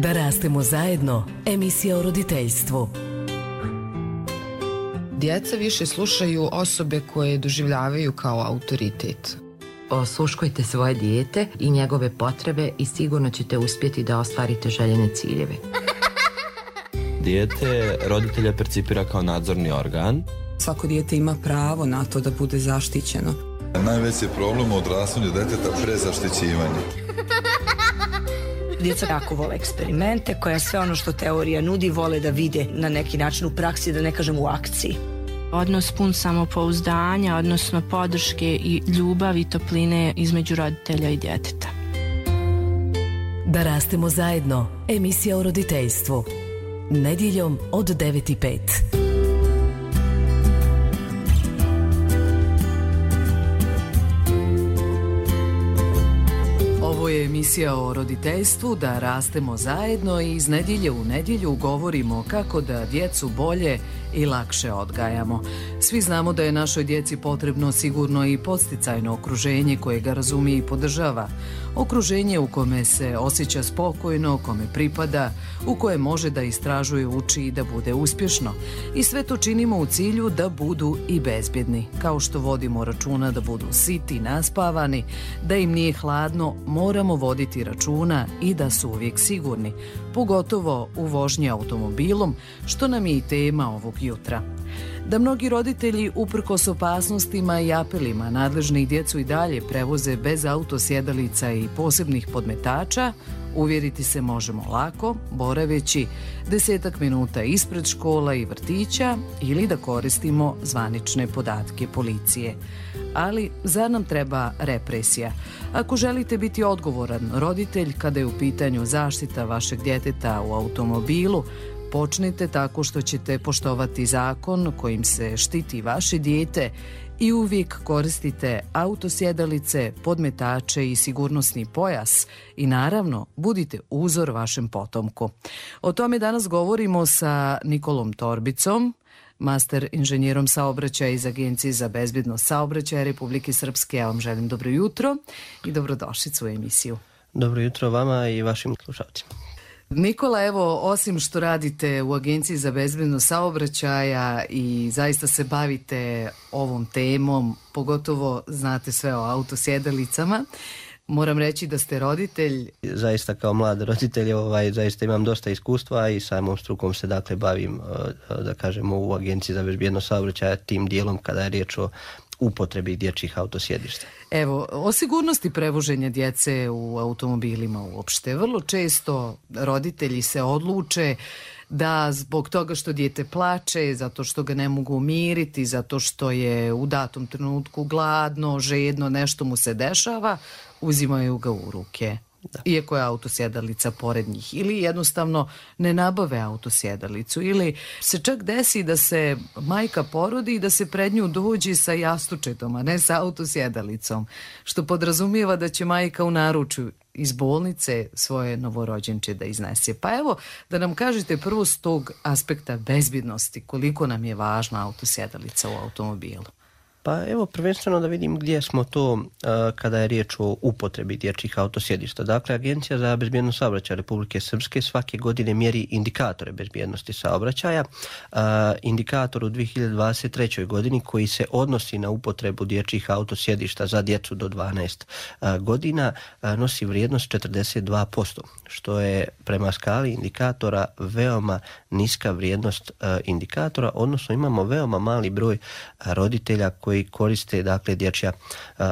Da rastemo zajedno, emisija o roditeljstvu. Djeca više slušaju osobe koje doživljavaju kao autoritet. Osluškujte svoje dijete i njegove potrebe i sigurno ćete uspjeti da ostvarite željene ciljeve. Dijete roditelja percipira kao nadzorni organ. Svako dijete ima pravo na to da bude zaštićeno. Najveći problem u odrastanju djeteta prezaštićivanje. Djeca jako vole eksperimente, koja sve ono što teorija nudi vole da vide na neki način u praksi, da ne kažem u akciji. Odnos pun samopouzdanja, odnosno podrške i ljubavi i topline između roditelja i djeteta. Da rastemo zajedno, emisija o roditeljstvu. Nedjeljom od 9:05. Ovo je emisija o roditeljstvu, da rastemo zajedno i iz nedjelje u nedjelju govorimo kako da djecu bolje i lakše odgajamo. Svi znamo da je našoj djeci potrebno sigurno i podsticajno okruženje koje ga razumije i podržava. Okruženje u kome se osjeća spokojno, kome pripada, u koje može da istražuje, uči i da bude uspješno. I sve to činimo u cilju da budu i bezbjedni. Kao što vodimo računa da budu siti, naspavani, da im nije hladno, moramo voditi računa i da su uvijek sigurni, pogotovo u vožnji automobilom, što nam je i tema ovog jutra. Da mnogi roditelji, uprkos opasnostima i apelima nadležnih, djecu i dalje prevoze bez autosjedalica i posebnih podmetača, uvjeriti se možemo lako, boraveći 10 minuta ispred škola i vrtića ili da koristimo zvanične podatke policije. Ali zar nam treba represija? Ako želite biti odgovoran roditelj kada je u pitanju zaštita vašeg djeteta u automobilu, počnite tako što ćete poštovati zakon kojim se štiti vaše dijete i uvijek koristite autosjedalice, podmetače i sigurnosni pojas i naravno budite uzor vašem potomku. O tome danas govorimo sa Nikolom Torbicom, master inženjerom saobraćaja iz Agencije za bezbjednost saobraćaja Republike Srpske. Ja vam želim dobro jutro i dobrodošlicu u emisiju. Dobro jutro vama i vašim slušalcima. Nikola, evo, osim što radite u Agenciji za bezbjednost saobraćaja i zaista se bavite ovom temom, pogotovo znate sve o autosjedalicama, moram reći da ste roditelj. Zaista kao mlad roditelj zaista imam dosta iskustva i samom strukom se dakle bavim, da kažemo, u Agenciji za bezbjednost saobraćaja tim dijelom kada je riječ o upotrebi dječjih autosjedišta. Evo, o sigurnosti prevoženja djece u automobilima uopšte. Vrlo često roditelji se odluče da zbog toga što dijete plače, zato što ga ne mogu umiriti, zato što je u datom trenutku gladno, žedno, nešto mu se dešava, uzimaju ga u ruke. Da. Iako je autosjedalica pored njih, ili jednostavno ne nabave autosjedalicu, ili se čak desi da se majka porodi i da se pred nju dođe sa jastučetom, a ne sa autosjedalicom, što podrazumijeva da će majka u naručju iz bolnice svoje novorođenče da iznese. Pa evo, da nam kažete prvo s tog aspekta bezbjednosti, koliko nam je važna autosjedalica u automobilu. Pa evo, prvenstveno da vidim gdje smo to kada je riječ o upotrebi dječjih autosjedišta. Dakle, Agencija za bezbjednost saobraćaja Republike Srpske svake godine mjeri indikatore bezbjednosti saobraćaja. Indikator u 2023. godini koji se odnosi na upotrebu dječjih autosjedišta za djecu do 12 godina nosi vrijednost 42%, što je prema skali indikatora veoma niska vrijednost indikatora, odnosno imamo veoma mali broj roditelja koji koriste dakle dječja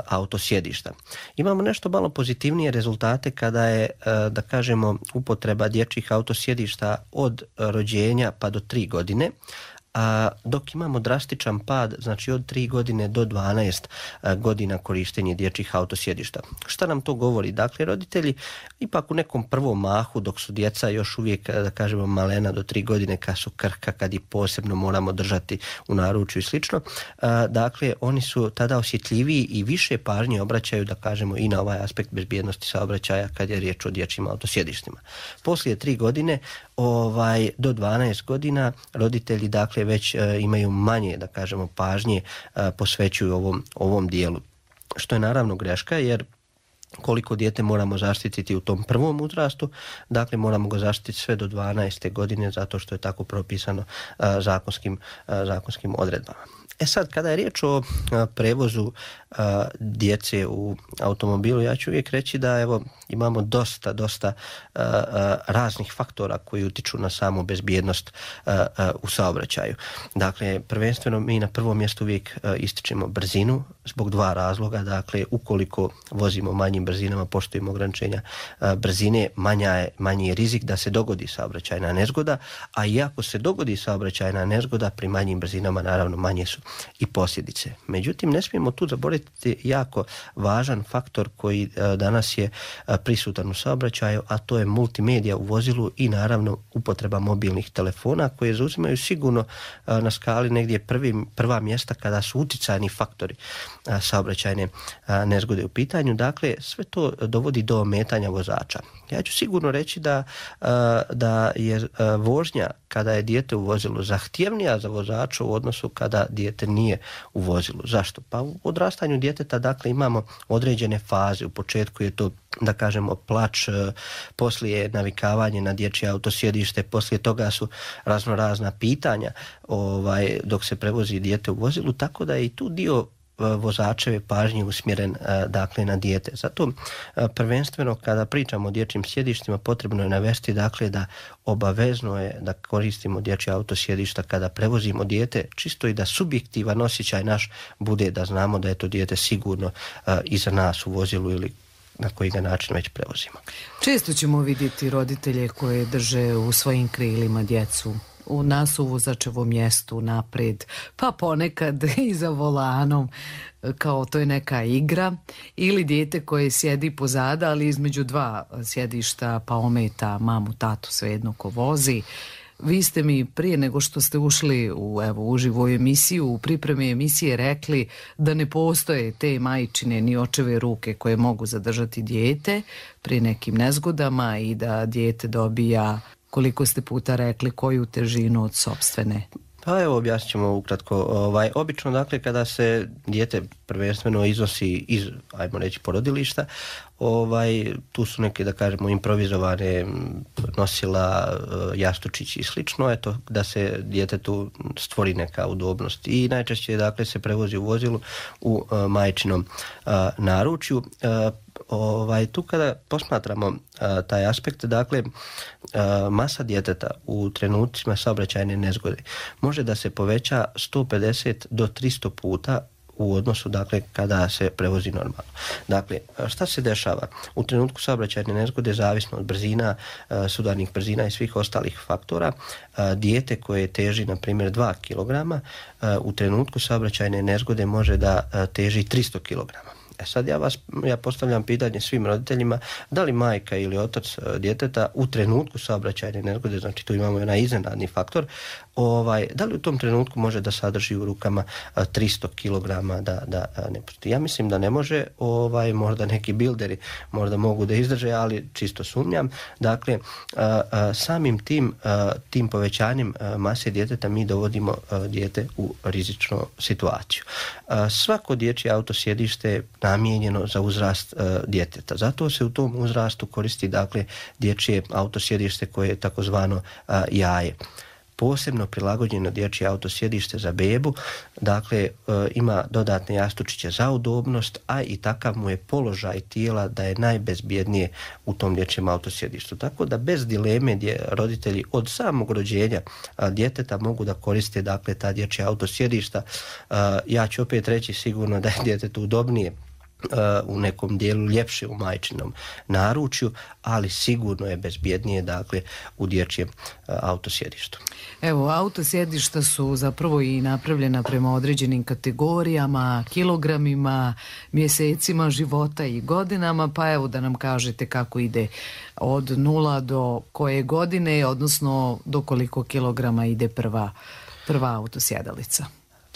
autosjedišta. Imamo nešto malo pozitivnije rezultate kada je, da kažemo, upotreba dječjih autosjedišta od rođenja pa do 3 godine, dok imamo drastičan pad, znači od 3 godine do 12 godina korištenje dječjih autosjedišta. Šta nam to govori? Dakle, roditelji ipak u nekom prvom mahu, dok su djeca još uvijek, da kažemo, malena do 3 godine, kad su krhka, kad ih posebno moramo držati u naručju i slično, dakle, oni su tada osjetljiviji i više pažnje obraćaju, da kažemo, i na ovaj aspekt bezbjednosti saobraćaja kad je riječ o dječjim autosjedištima. Poslije 3 godine do 12 godina roditelji dakle već imaju manje, da kažemo, pažnje posvećuju ovom dijelu. Što je naravno greška, jer koliko dijete moramo zaštititi u tom prvom uzrastu, dakle moramo ga zaštititi sve do 12. godine zato što je tako propisano zakonskim odredbama. Sad, kada je riječ o prevozu djece u automobilu, ja ću uvijek reći da imamo dosta raznih faktora koji utiču na samu bezbjednost u saobraćaju. Dakle, prvenstveno mi na prvom mjestu uvijek ističemo brzinu zbog dva razloga. Dakle, ukoliko vozimo manjim brzinama, poštujemo ograničenja brzine, manji je rizik da se dogodi saobraćajna nezgoda, a i ako se dogodi saobraćajna nezgoda, pri manjim brzinama naravno manje su i posljedice. Međutim, ne smijemo tu zaboraviti jako važan faktor koji danas je prisutan u saobraćaju, a to je multimedija u vozilu i naravno upotreba mobilnih telefona koje zauzimaju sigurno na skali negdje prva mjesta kada su uticajni faktori saobraćajne nezgode u pitanju. Dakle, sve to dovodi do ometanja vozača. Ja ću sigurno reći da je vožnja kada je dijete u vozilu zahtjevnija za vozača u odnosu kada dijete nije u vozilu. Zašto? Pa u odrastanju djeteta dakle imamo određene faze. U početku je to, da kažemo, plač, poslije je navikavanje na dječje autosjedište, poslije toga su raznorazna pitanja dok se prevozi dijete u vozilu, tako da je i tu dio vozačeve pažnje usmjeren dakle na dijete. Zato prvenstveno kada pričamo o dječjim sjedištima potrebno je navesti dakle da obavezno je da koristimo dječje autosjedišta kada prevozimo dijete, čisto i da subjektivan osjećaj naš bude da znamo da je to dijete sigurno iza nas u vozilu ili na koji ga način već prevozimo. Često ćemo vidjeti roditelje koje drže u svojim krilima djecu u nasuvozačevom mjestu naprijed, pa ponekad i za volanom, kao to je neka igra, ili dijete koje sjedi pozada, ali između dva sjedišta pa ometa mamu, tatu, svejedno ko vozi. Vi ste mi prije nego što ste ušli u uživu emisiju, u pripremi emisije rekli da ne postoje te majčine ni očeve ruke koje mogu zadržati dijete pri nekim nezgodama i da dijete dobija, koliko ste puta rekli, koju težinu od sopstvene? Pa evo, objasnit ćemo ukratko. Obično, dakle, kada se dijete prvenstveno iznosi iz, ajmo reći, porodilišta, tu su neke, da kažemo, improvizovane nosila, jastučići i slično, eto, da se djetetu stvori neka udobnost. I najčešće, dakle, se prevozi u vozilu u majčinom naručju. Tu kada posmatramo taj aspekt, dakle, masa djeteta u trenucima saobraćajne nezgode može da se poveća 150 do 300 puta u odnosu, dakle, kada se prevozi normalno. Dakle, šta se dešava? U trenutku saobraćajne nezgode, zavisno od brzina, sudarnih brzina i svih ostalih faktora, dijete koje teži, na primjer, 2 kg, u trenutku saobraćajne nezgode može da teži 300 kg. Sad ja postavljam pitanje svim roditeljima, da li majka ili otac djeteta u trenutku saobraćajne nezgode, znači tu imamo onaj iznenadni faktor, da li u tom trenutku može da sadrži u rukama 300 kg da ne pusti? Ja mislim da ne može, možda neki bilderi možda mogu da izdrže, ali čisto sumnjam. Dakle, samim tim povećanjem mase djeteta mi dovodimo dijete u rizičnu situaciju. Svako dječje autosjedište je namijenjeno za uzrast djeteta. Zato se u tom uzrastu koristi, dakle, dječje autosjedište koje je takozvano jaje. Posebno prilagođeno dječje autosjedište za bebu, dakle, ima dodatne jastučiće za udobnost, a i takav mu je položaj tijela da je najbezbjednije u tom dječjem autosjedištu. Tako da bez dileme roditelji od samog rođenja djeteta mogu da koriste, dakle, ta dječja autosjedišta. Ja ću opet reći sigurno da je djetetu udobnije u nekom dijelu, ljepše u majčinom naručju, ali sigurno je bezbjednije, dakle, u dječjem autosjedištu. Evo, autosjedišta su zapravo i napravljena prema određenim kategorijama, kilogramima, mjesecima života i godinama, pa evo da nam kažete kako ide od 0 do koje godine, odnosno do koliko kilograma ide prva autosjedalica.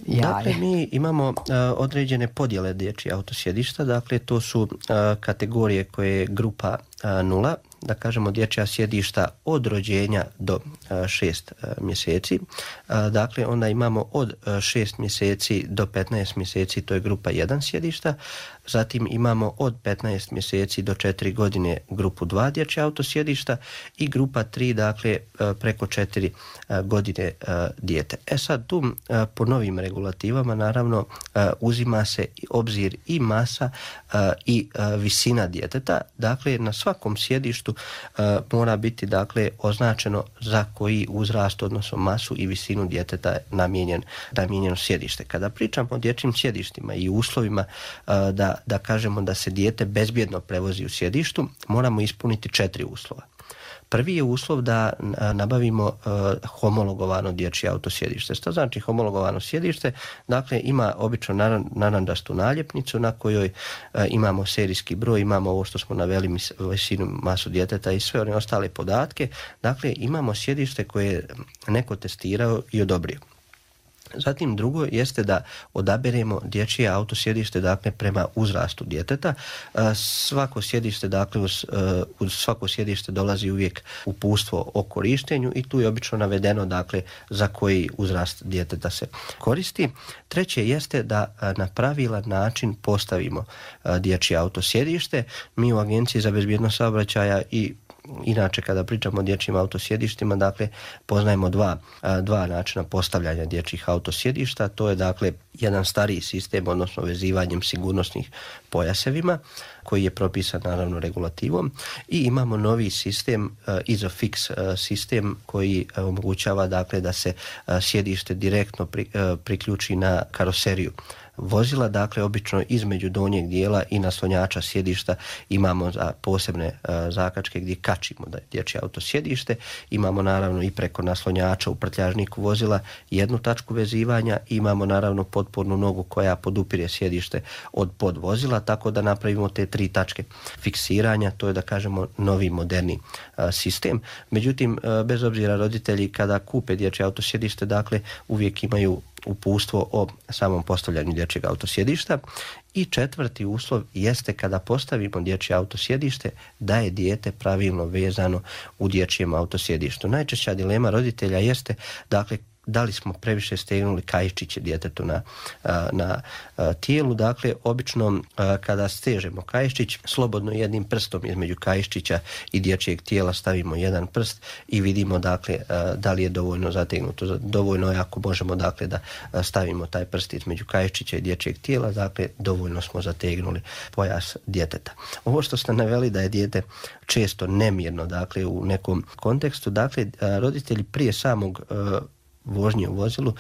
Dakle, mi imamo određene podjele dječjih autosjedišta, dakle to su kategorije koje je grupa 0, da kažemo, dječja sjedišta od rođenja do 6 mjeseci. Dakle, onda imamo od 6 mjeseci do 15 mjeseci, to je grupa 1 sjedišta. Zatim imamo od 15 mjeseci do 4 godine grupu 2 dječja autosjedišta i grupa 3, dakle, preko 4 godine dijete. Sad tu po novim regulativama naravno uzima se obzir i masa i visina djeteta. Dakle, na svakom sjedištu mora biti, dakle, označeno za koji uzrast, odnosno masu i visinu djeteta je namijenjeno sjedište. Kada pričamo o dječjim sjedištima i uslovima da kažemo da se dijete bezbjedno prevozi u sjedištu, moramo ispuniti 4 uslova. Prvi je uslov da nabavimo homologovano dječje autosjedište. Što znači homologovano sjedište? Dakle, ima obično narančastu naljepnicu na kojoj imamo serijski broj, imamo ovo što smo naveli, visinu, masu djeteta i sve one ostale podatke. Dakle, imamo sjedište koje je neko testirao i odobrio. Zatim drugo jeste da odaberemo dječje autosjedište, dakle, prema uzrastu djeteta. Svako sjedište, dakle, uz svako sjedište dolazi uvijek uputstvo o korištenju i tu je obično navedeno, dakle, za koji uzrast djeteta se koristi. Treće jeste da na pravilan način postavimo dječje autosjedište. Mi u Agenciji za bezbjednost saobraćaja i inače kada pričamo o dječjim autosjedištima, dakle, poznajemo dva načina postavljanja dječjih autosjedišta. To je, dakle, jedan stariji sistem, odnosno vezivanjem sigurnosnih pojasevima koji je propisan naravno regulativom, i imamo novi sistem, ISOFIX sistem, koji omogućava, dakle, da se sjedište direktno priključi na karoseriju vozila. Dakle, obično između donjeg dijela i naslonjača sjedišta imamo posebne zakačke gdje kačimo da je dječje autosjedište. Imamo naravno i preko naslonjača u prtljažniku vozila jednu tačku vezivanja, imamo naravno potpornu nogu koja podupire sjedište od podvozila, tako da napravimo te 3 tačke fiksiranja. To je, da kažemo, novi moderni sistem. Međutim, bez obzira, roditelji kada kupe dječje autosjedište, dakle, uvijek imaju uputstvo o samom postavljanju dječjeg autosjedišta. I 4. uslov jeste kada postavimo dječje autosjedište da je dijete pravilno vezano u dječjem autosjedištu. Najčešća dilema roditelja jeste, dakle, da li smo previše stegnuli kaiščiće djetetu na tijelu. Dakle, obično kada stežemo kaiščić, slobodno jednim prstom između kaiščića i dječjeg tijela stavimo jedan prst i vidimo, dakle, da li je dovoljno zategnuto. Dovoljno je ako možemo, dakle, da stavimo taj prst između kaiščića i dječjeg tijela, dakle, dovoljno smo zategnuli pojas djeteta. Ovo što ste naveli da je dijete često nemirno, dakle, u nekom kontekstu, dakle, roditelji prije samog vožnje u vozilu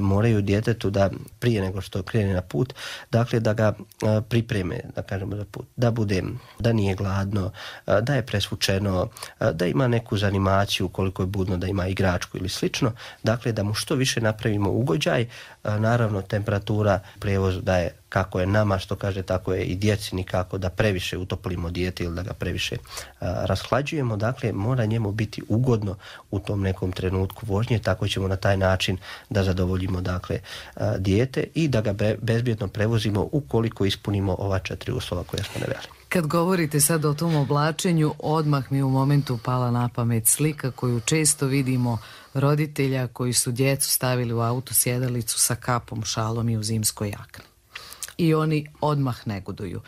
moraju djetetu da prije nego što krene na put, dakle, da ga pripreme, da kažemo, za put, da nije gladno, da je presvučeno, da ima neku zanimaciju, koliko je budno, da ima igračku ili slično, dakle, da mu što više napravimo ugođaj. Naravno, temperatura prijevozu da je kako je nama, što kaže, tako je i djeci, nikako da previše utoplimo dijete ili da ga previše rashlađujemo. Dakle, mora njemu biti ugodno u tom nekom trenutku vožnje, tako ćemo na taj način da zadovoljimo, dakle, dijete i da ga bezbjedno prevozimo ukoliko ispunimo ova 4 uslova koje smo naveli. Kad govorite sad o tom oblačenju, odmah mi u momentu pala na pamet slika koju često vidimo roditelja koji su djecu stavili u autosjedalicu sa kapom, šalom i u zimskoj jakni. I oni odmah negoduju.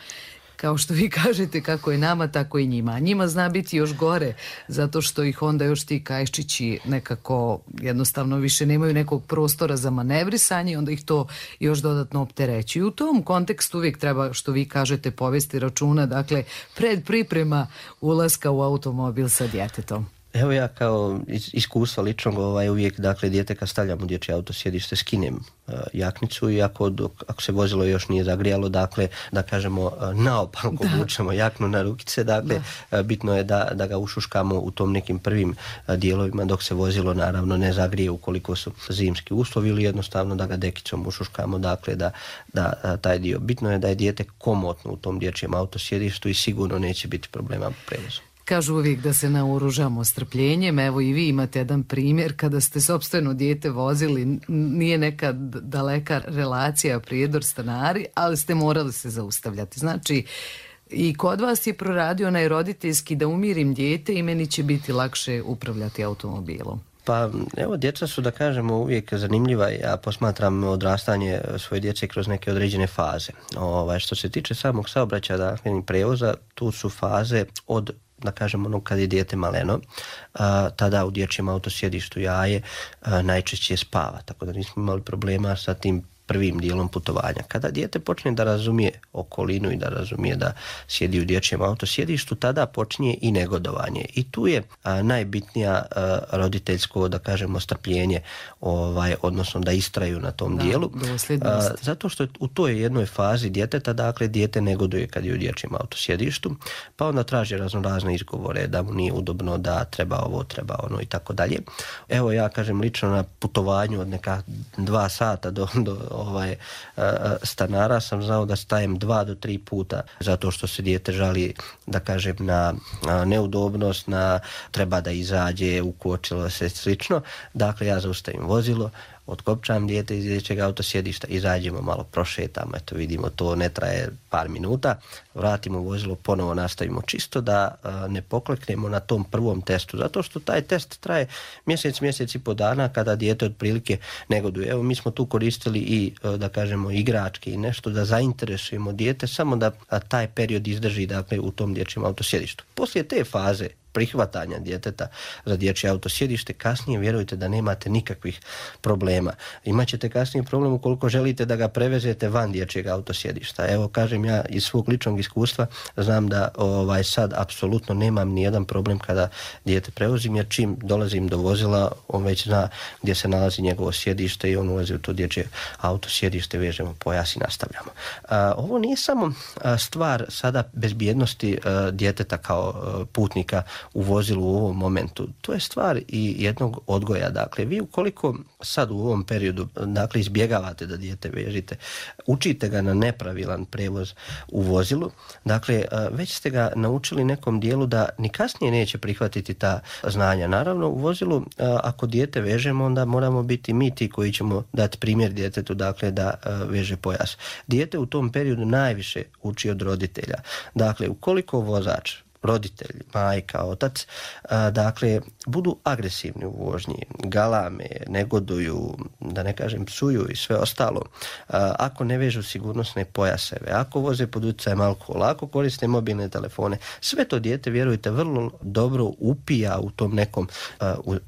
Kao što vi kažete, kako je nama, tako i njima. A njima zna biti još gore, zato što ih onda još ti kaiščići nekako jednostavno više nemaju nekog prostora za manevrisanje, onda ih to još dodatno optereći. I u tom kontekstu uvijek treba, što vi kažete, povesti računa, dakle, pred priprema ulaska u automobil sa djetetom. Evo, ja kao iskustva ličnog uvijek, dakle, dijete kad stavljamo dječje autosjedište skinem jaknicu i ako se vozilo još nije zagrijalo, dakle, da kažemo, naopako vučemo jaknu na rukice, dakle, bitno je da ga ušuškamo u tom nekim prvim dijelovima dok se vozilo naravno ne zagrije ukoliko su zimski uslovi, ili jednostavno da ga dekicom ušuškamo, dakle, da taj dio. Bitno je da je dijete komotno u tom dječjem autosjedištu i sigurno neće biti problema u prevozu. Kažu uvijek da se naoružamo strpljenjem. Evo i vi imate jedan primjer kada ste sopstveno dijete vozili, nije neka daleka relacija prijedor stanari, ali ste morali se zaustavljati. Znači, I kod vas je proradio onaj roditeljski da umirim dijete i meni će biti lakše upravljati automobilom. Pa evo, djeca su, da kažemo, uvijek zanimljiva. Ja posmatram odrastanje svoje djece kroz neke određene faze. Što se tiče samog saobraćaja, dakle, prevoza, tu su faze od, da kažemo, kad je dijete maleno, tada u dječjem autosjedištu jaje najčešće spava, tako da nismo imali problema sa tim prvim dijelom putovanja. Kada dijete počne da razumije okolinu i da razumije da sjedi u dječjem autosjedištu, tada počinje i negodovanje. I tu je najbitnija roditeljsko, da kažemo, strpljenje, odnosno da istraju na tom dijelu. Zato što u toj jednoj fazi djeteta, dakle, dijete negoduje kad je u dječjem autosjedištu, pa onda traži raznorazne izgovore da mu nije udobno, da treba ovo, treba ono i tako dalje. Evo, ja kažem lično na putovanju od neka 2 sata do stanara sam znao da stajem 2 do 3 puta zato što se dijete žali, da kažem, na neudobnost, na treba da izađe, ukočilo se, slično. Dakle, ja zaustavim vozilo, otkopčam dijete iz dječjeg autosjedišta, izađemo, malo prošetamo, eto vidimo, to ne traje par minuta, vratimo vozilo, ponovo nastavimo, čisto da ne pokleknemo na tom prvom testu, zato što taj test traje mjesec i po dana kada dijete otprilike negoduje. Evo, mi smo tu koristili i, da kažemo, igračke i nešto da zainteresujemo dijete, samo da taj period izdrži, dakle, u tom dječjem autosjedištu. Poslije te faze prihvatanja djeteta za dječje autosjedište, kasnije vjerujte da nemate nikakvih problema. Imaćete kasnije problem ukoliko želite da ga prevezete van dječjeg autosjedišta. Evo, kažem, ja iz svog ličnog iskustva znam da sad apsolutno nemam nijedan problem kada dijete prevozim, jer čim dolazim do vozila, on već zna gdje se nalazi njegovo sjedište i on ulazi u to dječje autosjedište, vežemo pojas i nastavljamo. Ovo nije samo stvar sada bezbjednosti djeteta kao putnika u vozilu u ovom momentu. To je stvar i jednog odgoja. Dakle, vi ukoliko sad u ovom periodu, dakle, izbjegavate da dijete vežite, učite ga na nepravilan prevoz u vozilu, dakle, već ste ga naučili nekom dijelu da ni kasnije neće prihvatiti ta znanja. Naravno, u vozilu, ako dijete vežemo, onda moramo biti mi ti koji ćemo dati primjer djetetu, dakle, da veže pojas. Dijete u tom periodu najviše uči od roditelja. Dakle, ukoliko vozač, roditelj, majka, otac, dakle, budu agresivni u vožnji, galame, negoduju, da ne kažem psuju i sve ostalo, ako ne vežu sigurnosne pojaseve, ako voze pod utjecajem alkohola, ako koriste mobilne telefone, sve to dijete, vjerujte, vrlo dobro upija u tom nekom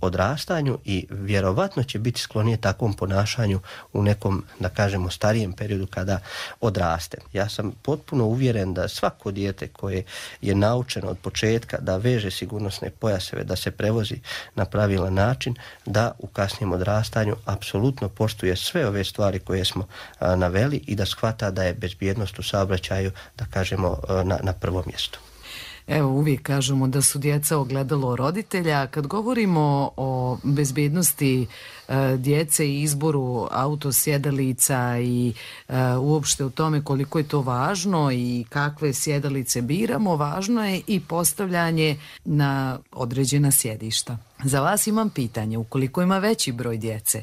odrastanju i vjerovatno će biti sklonije takvom ponašanju u nekom, da kažemo, starijem periodu kada odraste. Ja sam potpuno uvjeren da svako dijete koje je naučeno od početka da veže sigurnosne pojaseve, da se prevozi na pravilan način, da u kasnijem odrastanju apsolutno poštuje sve ove stvari koje smo naveli i da shvata da je bezbjednost u saobraćaju, da kažemo, na prvom mjestu. Evo, uvijek kažemo da su djeca ogledalo roditelja. Kad govorimo o bezbjednosti djece i izboru autosjedalica i uopšte o tome koliko je to važno i kakve sjedalice biramo, važno je i postavljanje na određena sjedišta. Za vas imam pitanje, ukoliko ima veći broj djece,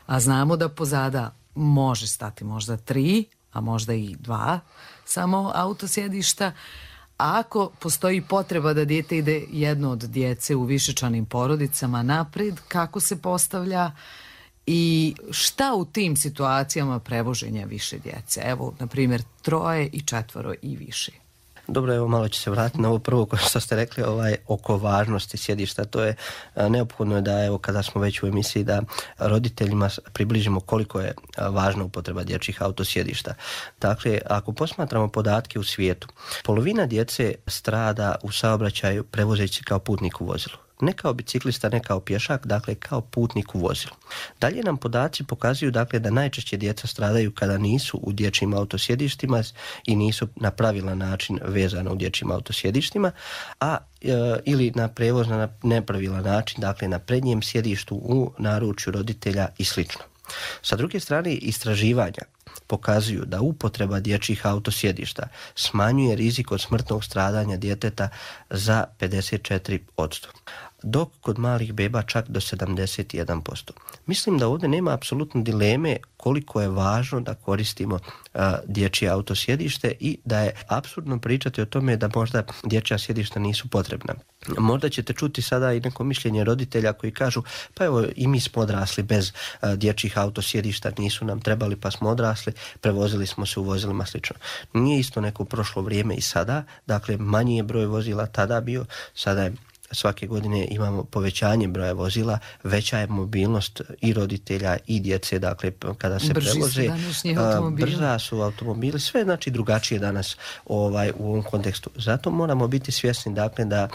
a znamo da pozada može stati možda 3, a možda i 2 samo autosjedišta, a ako postoji potreba da dijete ide jedno od djece u višečlanim porodicama napred, kako se postavlja i šta u tim situacijama prevoženja više djece? Evo, na primjer, 3 i 4 i više. Dobro, evo, malo ću se vratiti na ovo prvo što ste rekli, oko važnosti sjedišta. To je neophodno je da, evo, kada smo već u emisiji, da roditeljima približimo koliko je važna upotreba dječjih autosjedišta. Dakle, ako posmatramo podatke u svijetu, polovina djece strada u saobraćaju prevozeći kao putnik u vozilu. Ne kao biciklista, ne kao pješak, dakle kao putnik u vozilu. Dalje nam podaci pokazuju, dakle, da najčešće djeca stradaju kada nisu u dječjim autosjedištima i nisu na pravilan način vezana u dječjim autosjedištima, ili na prevoz na nepravilan način, dakle na prednjem sjedištu, u naručju roditelja i slično. Sa druge strane, istraživanja pokazuju da upotreba dječjih autosjedišta smanjuje rizik od smrtnog stradanja djeteta za 54%. dok kod malih beba čak do 71%. Mislim da ovdje nema apsolutno dileme koliko je važno da koristimo dječje autosjedište i da je apsurdno pričati o tome da možda dječja sjedišta nisu potrebna. Možda ćete čuti sada i neko mišljenje roditelja koji kažu pa evo i mi smo odrasli bez dječjih autosjedišta, nisu nam trebali pa smo odrasli, prevozili smo se u vozilima slično. Nije isto neko prošlo vrijeme i sada, dakle manji je broj vozila tada bio, sada je svake godine imamo povećanje broja vozila, veća je mobilnost i roditelja i djece, dakle kada se prevoze, brza su automobili, sve znači drugačije danas u ovom kontekstu. Zato moramo biti svjesni dakle da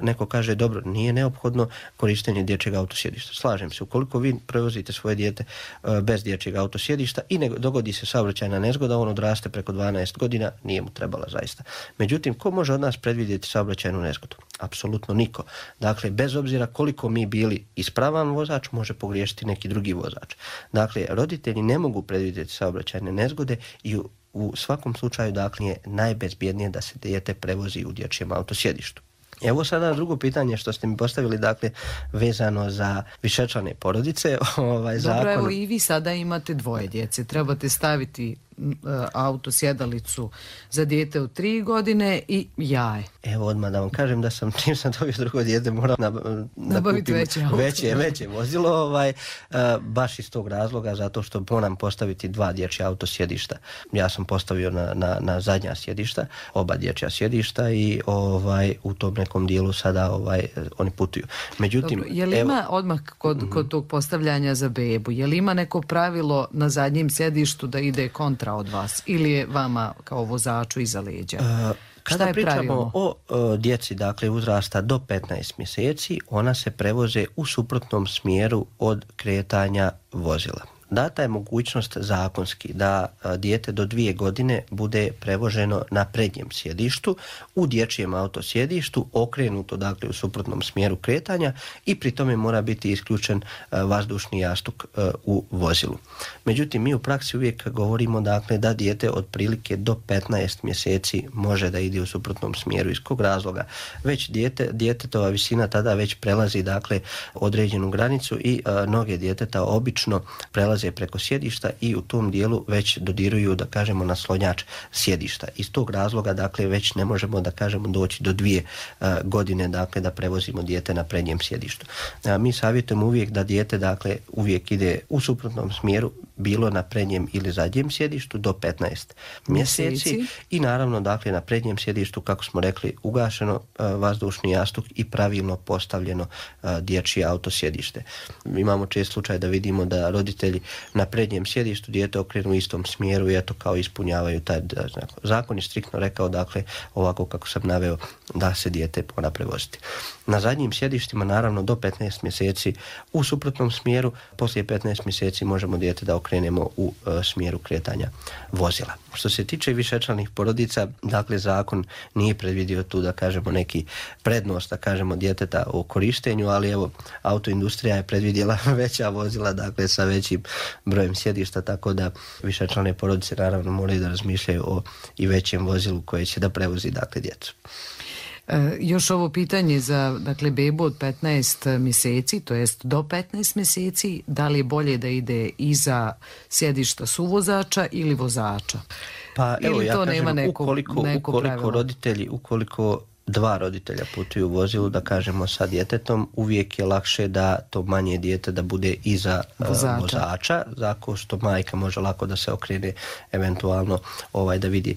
neko kaže dobro, nije neophodno korištenje dječjeg autosjedišta. Slažem se, ukoliko vi prevozite svoje dijete bez dječjeg autosjedišta i ne dogodi se saobraćajna nezgoda, on odraste preko 12 godina, nije mu trebala zaista. Međutim, ko može od nas predvidjeti saobraćajnu nezgodu? Apsolutno niko. Dakle, bez obzira koliko mi bili ispravan vozač, može pogriješiti neki drugi vozač. Dakle, roditelji ne mogu predvidjeti saobraćajne nezgode i u svakom slučaju dakle je najbezbjednije da se dijete prevozi u dječjem autosjedištu. Evo sada drugo pitanje što ste mi postavili, dakle, vezano za višečlane porodice. Dobro, evo i vi sada imate dvoje djece. Trebate staviti autosjedalicu za dijete od 3 godine i jaje. Evo odmah da vam kažem da sam, čim sam dobio drugo dijete, moram nabaviti veće vozilo, baš iz tog razloga, zato što moram postaviti 2 dječja autosjedišta. Ja sam postavio na zadnja sjedišta, oba dječja sjedišta i u tom nekom dijelu sada oni putuju. Međutim, dobro, je li ima odmah kod tog postavljanja za bebu, je li ima neko pravilo na zadnjem sjedištu da ide kontra od vas ili je vama kao vozaču iza leđa? Kada pričamo o djeci, dakle uzrasta do 15 mjeseci, ona se prevoze u suprotnom smjeru od kretanja vozila. Data je mogućnost zakonski da dijete do 2 godine bude prevoženo na prednjem sjedištu, u dječjem autosjedištu, okrenuto dakle u suprotnom smjeru kretanja i pri tome mora biti isključen vazdušni jastuk u vozilu. Međutim, mi u praksi uvijek govorimo dakle da dijete otprilike do 15 mjeseci može da ide u suprotnom smjeru. Iz kog razloga? Već djetetova visina tada već prelazi dakle određenu granicu i noge djeteta obično prelaze preko sjedišta i u tom dijelu već dodiruju, da kažemo, naslonjač sjedišta. Iz tog razloga, dakle, već ne možemo, da kažemo, doći do 2 godine, dakle, da prevozimo dijete na prednjem sjedištu. Mi savjetujemo uvijek da dijete, dakle, uvijek ide u suprotnom smjeru, bilo na prednjem ili zadnjem sjedištu do 15 mjeseci i naravno, dakle, na prednjem sjedištu, kako smo rekli, ugašeno vazdušni jastuk i pravilno postavljeno dječje autosjedište. Imamo čest slučaj da vidimo da roditelji na prednjem sjedištu dijete okrenu u istom smjeru i eto kao ispunjavaju taj znak. Zakon je striktno rekao, dakle, ovako kako sam naveo, da se dijete mora prevoziti. Na zadnjim sjedištima, naravno, do 15 mjeseci u suprotnom smjeru, poslije 15 mjeseci možemo dijete da okrenemo u smjeru kretanja vozila. Što se tiče višečlanih porodica, dakle, zakon nije predvidio tu, da kažemo, neki prednost, da kažemo, djeteta u korištenju, ali evo, autoindustrija je predvidjela veća vozila, dakle, sa većim brojem sjedišta, tako da višečlane porodice naravno moraju da razmišljaju o i većem vozilu koje će da prevozi, dakle, djecu. Još ovo pitanje za, dakle, bebu od 15 mjeseci, to jest do 15 mjeseci, da li je bolje da ide iza sjedišta suvozača ili vozača? Pa evo, ili ja to kažem, nema neko ukoliko 2 roditelja putuju u vozilu, da kažemo, sa djetetom, uvijek je lakše da to manje dijete da bude iza vozača, zato što majka može lako da se okrene eventualno da vidi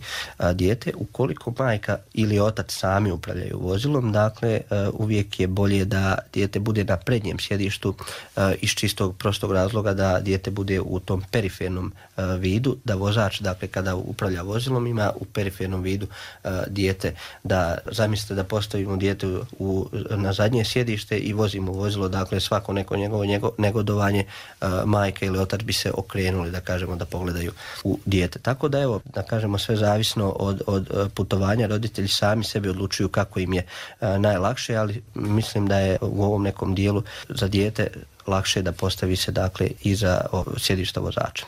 dijete. Ukoliko majka ili otac sami upravljaju vozilom, dakle, uvijek je bolje da dijete bude na prednjem sjedištu iz čistog prostog razloga da dijete bude u tom perifernom vidu, da vozač, dakle, kada upravlja vozilom ima u perifernom vidu dijete, da zamislite da postavimo dijete na zadnje sjedište i vozimo vozilo, dakle, svako neko njegovo negodovanje, majka ili otac bi se okrenuli, da kažemo, da pogledaju u dijete. Tako da, evo, da kažemo, sve zavisno od putovanja, roditelji sami sebi odlučuju kako im je najlakše, ali mislim da je u ovom nekom dijelu za dijete lakše da postavi se dakle iza sjedišta vozača.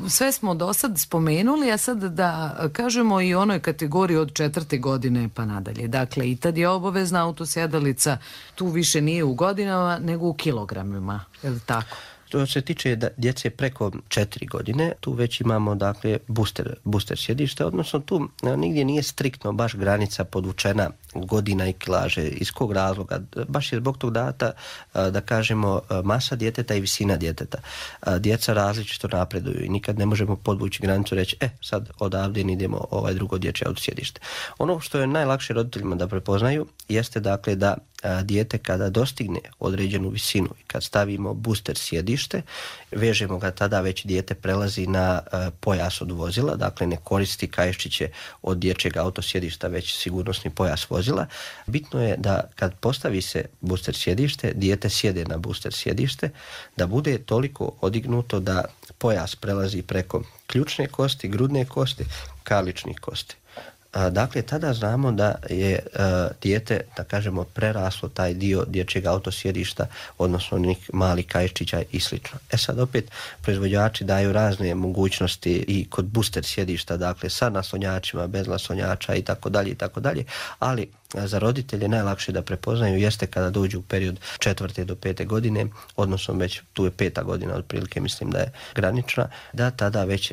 Sve smo do sad spomenuli, a sad da kažemo i onoj kategoriji od 4. godine pa nadalje. Dakle, i tad je obavezna autosjedalica, tu više nije u godinama nego u kilogramima, je li tako? Što se tiče djece preko 4 godine, tu već imamo dakle booster sjedišta, odnosno tu nigdje nije striktno baš granica podvučena godina i kilaže. Iz kog razloga? Baš je zbog tog data, da kažemo, masa djeteta i visina djeteta. Djeca različito napreduju i nikad ne možemo podvući granicu i reći sad odavde idemo drugo dječje autosjedište. Ono što je najlakše roditeljima da prepoznaju jeste dakle da dijete kada dostigne određenu visinu i kad stavimo booster sjedište, vežemo ga, tada već dijete prelazi na pojas od vozila, dakle ne koristi kaiščiće od dječjeg autosjedišta, već sigurnosni pojas vozila. Bitno je da kad postavi se booster sjedište, dijete sjede na booster sjedište, da bude toliko odignuto da pojas prelazi preko ključne kosti, grudne kosti, karličnih kosti. Dakle, tada znamo da je dijete, da kažemo, preraslo taj dio dječjeg autosjedišta, odnosno onih malih kaiščića i slično. Sad opet proizvođači daju razne mogućnosti i kod booster sjedišta, dakle sa naslonjačima, bez naslonjača i tako dalje, ali za roditelje najlakše da prepoznaju jeste kada dođu u period 4. do 5. godine, odnosno već tu je 5. godina otprilike, mislim da je granična, da tada već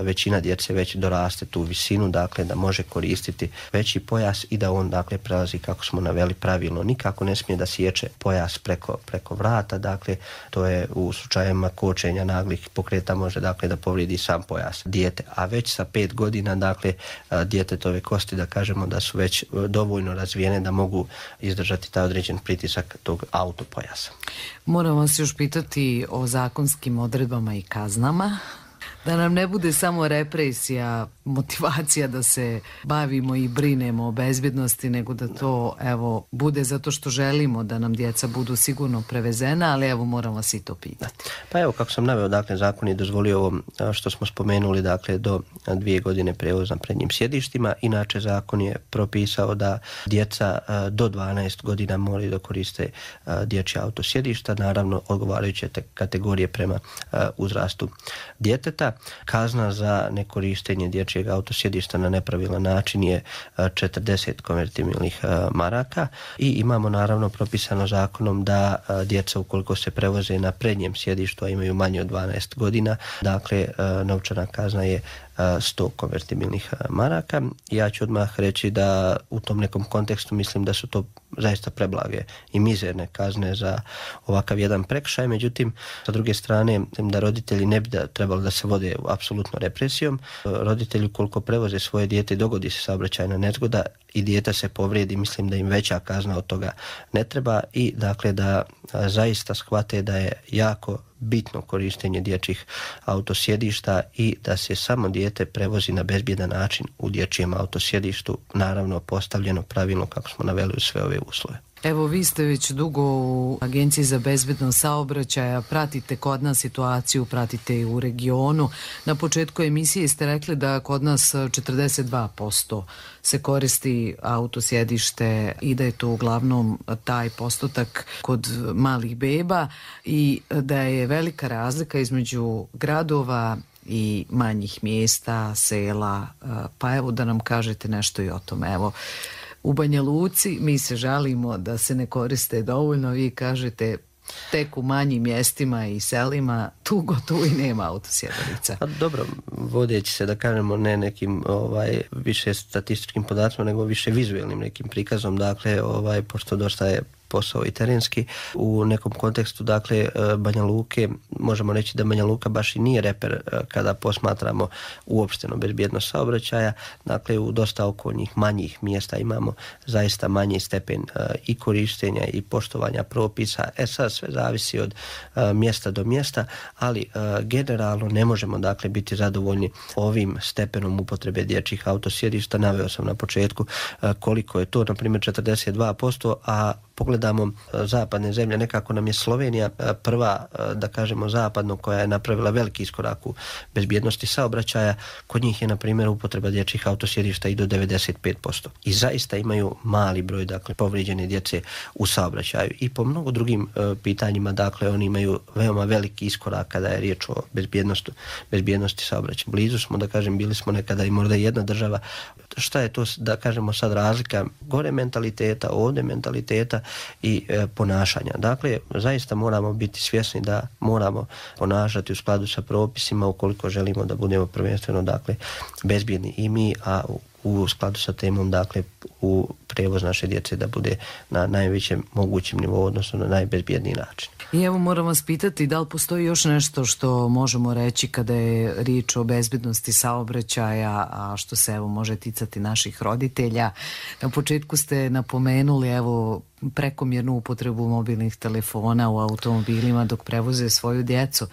većina djece već doraste tu visinu, dakle da može koristiti veći pojas i da on dakle prelazi, kako smo naveli, pravilno. Nikako ne smije da sječe pojas preko vrata, dakle to je u slučajevima kočenja naglih pokreta može dakle da povrijedi sam pojas dijete, a već sa 5 godina dakle djetetove kosti, da kažemo da su već dovoljno razvijene da mogu izdržati taj određen pritisak tog autopojasa. Moram vas još pitati o zakonskim odredbama i kaznama. Da nam ne bude samo represija, motivacija da se bavimo i brinemo o bezbjednosti, nego da to bude zato što želimo da nam djeca budu sigurno prevezena, ali moram vas i to pitati. Pa kako sam naveo, dakle zakon je dozvolio ovo što smo spomenuli, dakle do 2 godine prevoz na prednjim sjedištima. Inače zakon je propisao da djeca do 12 godina moraju da koriste dječja autosjedišta, naravno odgovarajuće kategorije prema uzrastu djeteta. Kazna za nekorištenje dječjeg autosjedišta na nepravilan način je 40 konvertibilnih maraka i imamo naravno propisano zakonom da djeca ukoliko se prevoze na prednjem sjedištu, a imaju manje od 12 godina, dakle novčana kazna je 100 konvertibilnih maraka. Ja ću odmah reći da u tom nekom kontekstu mislim da su to zaista preblage i mizerne kazne za ovakav jedan prekršaj, međutim sa druge strane da roditelji ne bi trebali da se vode apsolutno represijom. Roditelji ukoliko prevoze svoje dijete, dogodi se saobraćajna nezgoda i dijete se povrijedi, mislim da im veća kazna od toga ne treba i dakle da zaista shvate da je jako bitno korištenje dječjih autosjedišta i da se samo dijete prevozi na bezbjedan način u dječjem autosjedištu, naravno postavljeno pravilno kako smo naveli u sve ove uslove. Evo, vi ste već dugo u Agenciji za bezbednost saobraćaja, pratite kod nas situaciju, pratite i u regionu. Na početku emisije ste rekli da kod nas 42% se koristi autosjedište i da je to uglavnom taj postotak kod malih beba i da je velika razlika između gradova i manjih mjesta, sela, pa evo da nam kažete nešto i o tome. Evo, u Banja Luci mi se žalimo da se ne koriste dovoljno, vi kažete tek u manjim mjestima i selima tu gotovo i nema autosjedalica. Dobro, vodeći se da kažemo ne nekim više statističkim podacima, nego više vizualnim nekim prikazom, dakle pošto dosta je posao i terenski. U nekom kontekstu, dakle, Banja Luke, možemo reći da Banja Luka baš i nije reper kada posmatramo uopšteno bezbjednost saobraćaja. Dakle, u dosta okolnih manjih mjesta imamo zaista manji stepen i korištenja i poštovanja propisa. Sad sve zavisi od mjesta do mjesta, ali generalno ne možemo, dakle, biti zadovoljni ovim stepenom upotrebe dječjih autosjedišta. Naveo sam na početku koliko je to, na primjer 42%, a pogledamo zapadne zemlje, nekako nam je Slovenija prva, da kažemo, zapadno koja je napravila veliki iskorak u bezbjednosti saobraćaja. Kod njih je, na primjer, upotreba dječjih autosjedišta i do 95%. I zaista imaju mali broj, dakle, povrijeđene djece u saobraćaju. I po mnogo drugim pitanjima, dakle, oni imaju veoma veliki iskorak kada je riječ o bezbjednosti saobraćaja. Blizu smo, da kažem, bili smo nekada i možda jedna država. Šta je to, da kažemo, sad razlika gore mentaliteta, ovdje mentaliteta i ponašanja. Dakle, zaista moramo biti svjesni da moramo ponašati u skladu sa propisima ukoliko želimo da budemo prvenstveno, dakle, bezbjedni i mi, a u skladu sa temom, dakle, u prijevoz naše djece da bude na najvećem mogućem nivou, odnosno na najbezbjedniji način. I evo moram vas pitati da li postoji još nešto što možemo reći kada je riječ o bezbjednosti saobraćaja, a što se evo može ticati naših roditelja. Na početku ste napomenuli evo prekomjernu upotrebu mobilnih telefona u automobilima dok prevoze svoju djecu.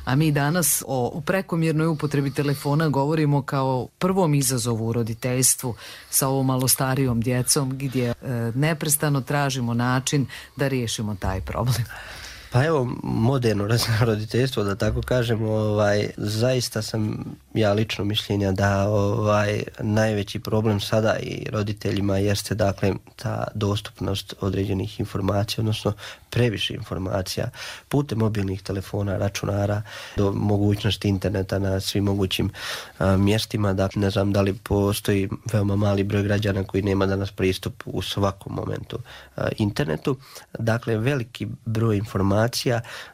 A mi danas o prekomjernoj upotrebi telefona govorimo kao prvom izazovu u roditeljstvu sa ovom malo starijom djecom gdje neprestano tražimo način da riješimo taj problem. Pa evo, moderno roditeljstvo, da tako kažemo, zaista sam ja lično mišljenja da najveći problem sada i roditeljima jeste, dakle, ta dostupnost određenih informacija, odnosno previše informacija putem mobilnih telefona, računara, do mogućnosti interneta na svim mogućim mjestima. Dakle, ne znam da li postoji veoma mali broj građana koji nema danas pristup u svakom momentu internetu. Dakle, veliki broj informacija,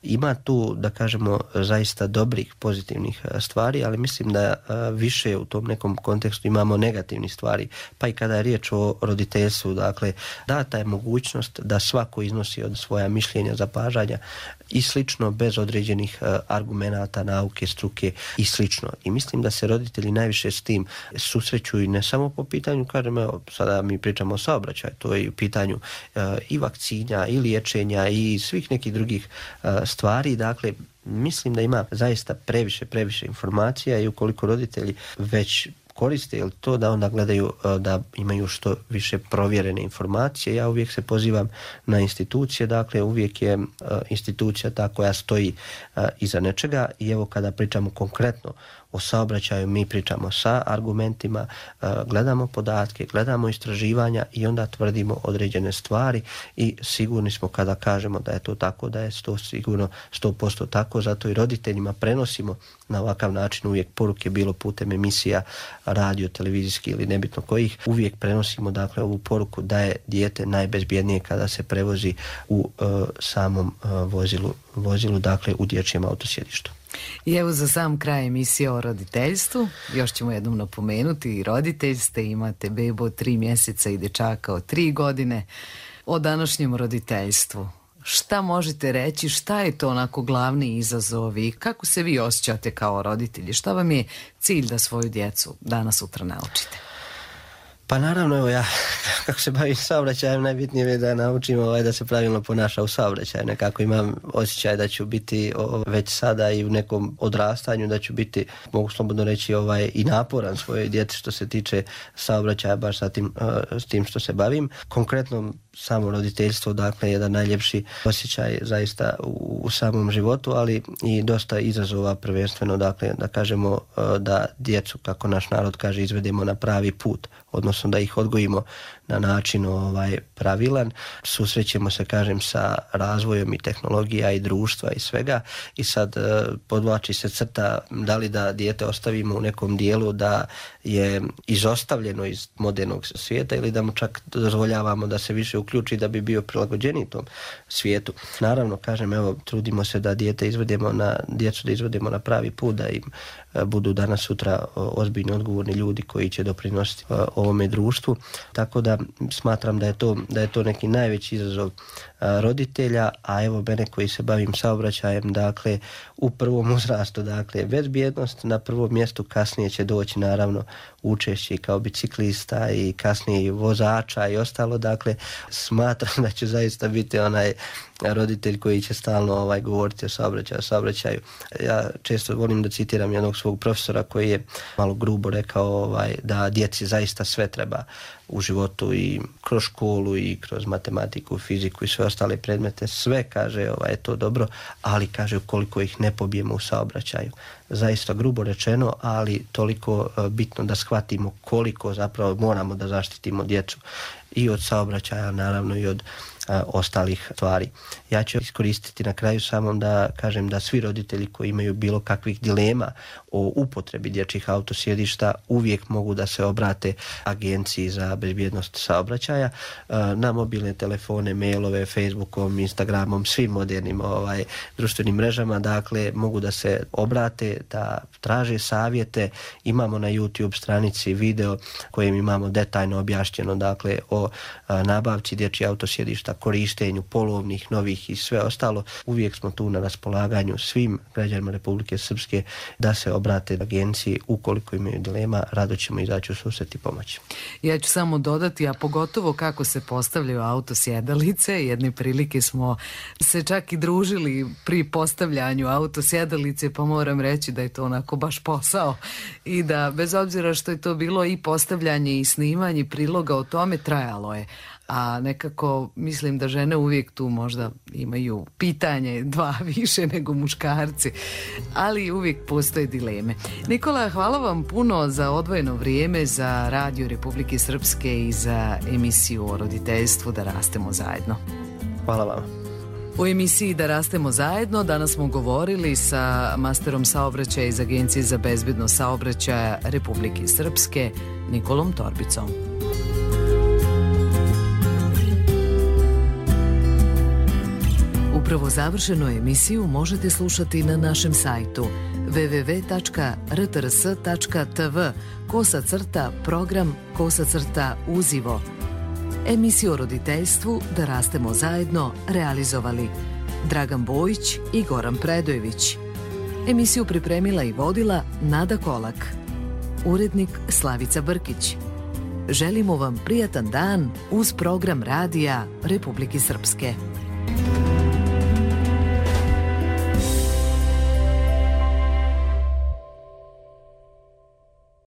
ima tu, da kažemo, zaista dobrih, pozitivnih stvari, ali mislim da više u tom nekom kontekstu imamo negativnih stvari. Pa i kada je riječ o roditeljstvu, dakle, data je mogućnost da svako iznosi od svoja mišljenja, zapažanja i slično, bez određenih argumenata, nauke, struke i slično. I mislim da se roditelji najviše s tim susreću i ne samo po pitanju, kažem, evo, sada mi pričamo o saobraćaju, to je u pitanju i vakcina, i liječenja, i svih nekih drugih stvari. Dakle, mislim da ima zaista previše informacija i ukoliko roditelji već koriste to, da onda gledaju da imaju što više provjerene informacije. Ja uvijek se pozivam na institucije, dakle uvijek je institucija ta koja stoji iza nečega i evo kada pričamo konkretno o saobraćaju, mi pričamo sa argumentima, gledamo podatke, gledamo istraživanja i onda tvrdimo određene stvari i sigurni smo kada kažemo da je to tako, da je to sigurno 100% tako, zato i roditeljima prenosimo na ovakav način uvijek poruke, bilo putem emisija, radio, televizijski ili nebitno kojih, uvijek prenosimo, dakle, ovu poruku da je dijete najbezbjednije kada se prevozi u samom vozilu, dakle u dječjem autosjedištu. I evo za sam kraj emisije o roditeljstvu, još ćemo jednom napomenuti, i roditelj ste, imate bebu od 3 mjeseca i dečaka od 3 godine. O današnjem roditeljstvu, šta možete reći, šta je to onako glavni izazovi, kako se vi osjećate kao roditelji, šta vam je cilj da svoju djecu danas sutra naučite? Pa naravno, evo ja, kako se bavim saobraćajem, najbitnije je da naučim da se pravilno ponaša u saobraćaju. Nekako imam osjećaj da ću biti već sada i u nekom odrastanju, da ću biti, mogu slobodno reći, i naporan svojoj djeci što se tiče saobraćaja, baš s tim što se bavim. Konkretno, samo roditeljstvo, dakle, jedan najljepši osjećaj zaista u samom životu, ali i dosta izazova, prvenstveno, dakle, da kažemo da djecu, kako naš narod kaže, izvedemo na pravi put, odnosno da ih odgojimo na način pravilan. Susrećemo se, kažem, sa razvojem i tehnologija i društva i svega i sad podvlači se crta da li da dijete ostavimo u nekom dijelu da je izostavljeno iz modernog svijeta ili da mu čak dozvoljavamo da se više uključi da bi bio prilagođeniji tom svijetu. Naravno, kažem, evo, trudimo se da djecu da izvedemo na pravi put, da im budu danas sutra ozbiljni, odgovorni ljudi koji će doprinositi ovome društvu. Tako da smatram da je to neki najveći izazov roditelja, a evo mene koji se bavim saobraćajem, dakle, u prvom uzrastu, dakle, bezbjednost na prvom mjestu, kasnije će doći naravno učešće kao biciklista i kasnije i vozača i ostalo, dakle, smatram da ću zaista biti onaj roditelj koji će stalno govoriti o saobraćaju. Ja često volim da citiram jednog svog profesora koji je malo grubo rekao da djeci zaista sve treba u životu i kroz školu i kroz matematiku, fiziku i sve ostale predmete, sve kaže je to dobro, ali kaže ukoliko ih ne pobijemo u saobraćaju. Zaista grubo rečeno, ali toliko bitno da shvatimo koliko zapravo moramo da zaštitimo djecu i od saobraćaja, naravno i od ostalih stvari. Ja ću iskoristiti na kraju samom da kažem da svi roditelji koji imaju bilo kakvih dilema o upotrebi dječjih autosjedišta uvijek mogu da se obrate Agenciji za bezbjednost saobraćaja na mobilne telefone, mailove, Facebookom, Instagramom, svim modernim društvenim mrežama. Dakle, mogu da se obrate, da traže savjete. Imamo na YouTube stranici video kojim imamo detaljno objašnjeno dakle o nabavci dječjih autosjedišta, korištenju polovnih, novih i sve ostalo. Uvijek smo tu na raspolaganju svim građanima Republike Srpske da se obrate agenciji ukoliko imaju dilema, rado ćemo izaći u susret i pomoći. Ja ću samo dodati, a pogotovo kako se postavljaju autosjedalice. Jedne prilike smo se čak i družili pri postavljanju autosjedalice, pa moram reći da je to onako baš posao i da bez obzira što je to bilo i postavljanje i snimanje priloga o tome, trajalo je. A nekako mislim da žene uvijek tu možda imaju pitanje 2 više nego muškarci, ali uvijek postoje dileme. Nikola, hvala vam puno za odvojeno vrijeme za Radio Republike Srpske i za emisiju o roditeljstvu Da rastemo zajedno. Hvala vam. U emisiji Da rastemo zajedno danas smo govorili sa masterom saobraćaja iz Agencije za bezbjednost saobraćaja Republike Srpske, Nikolom Torbicom. Upravo završenu emisiju možete slušati na našem sajtu www.rtrs.tv/program/uzivo. Emisiju o roditeljstvu Da rastemo zajedno realizovali Dragan Bojić i Goran Predojević. Emisiju pripremila i vodila Nada Kolak. Urednik Slavica Brkić. Želimo vam prijatan dan uz program Radija Republike Srpske.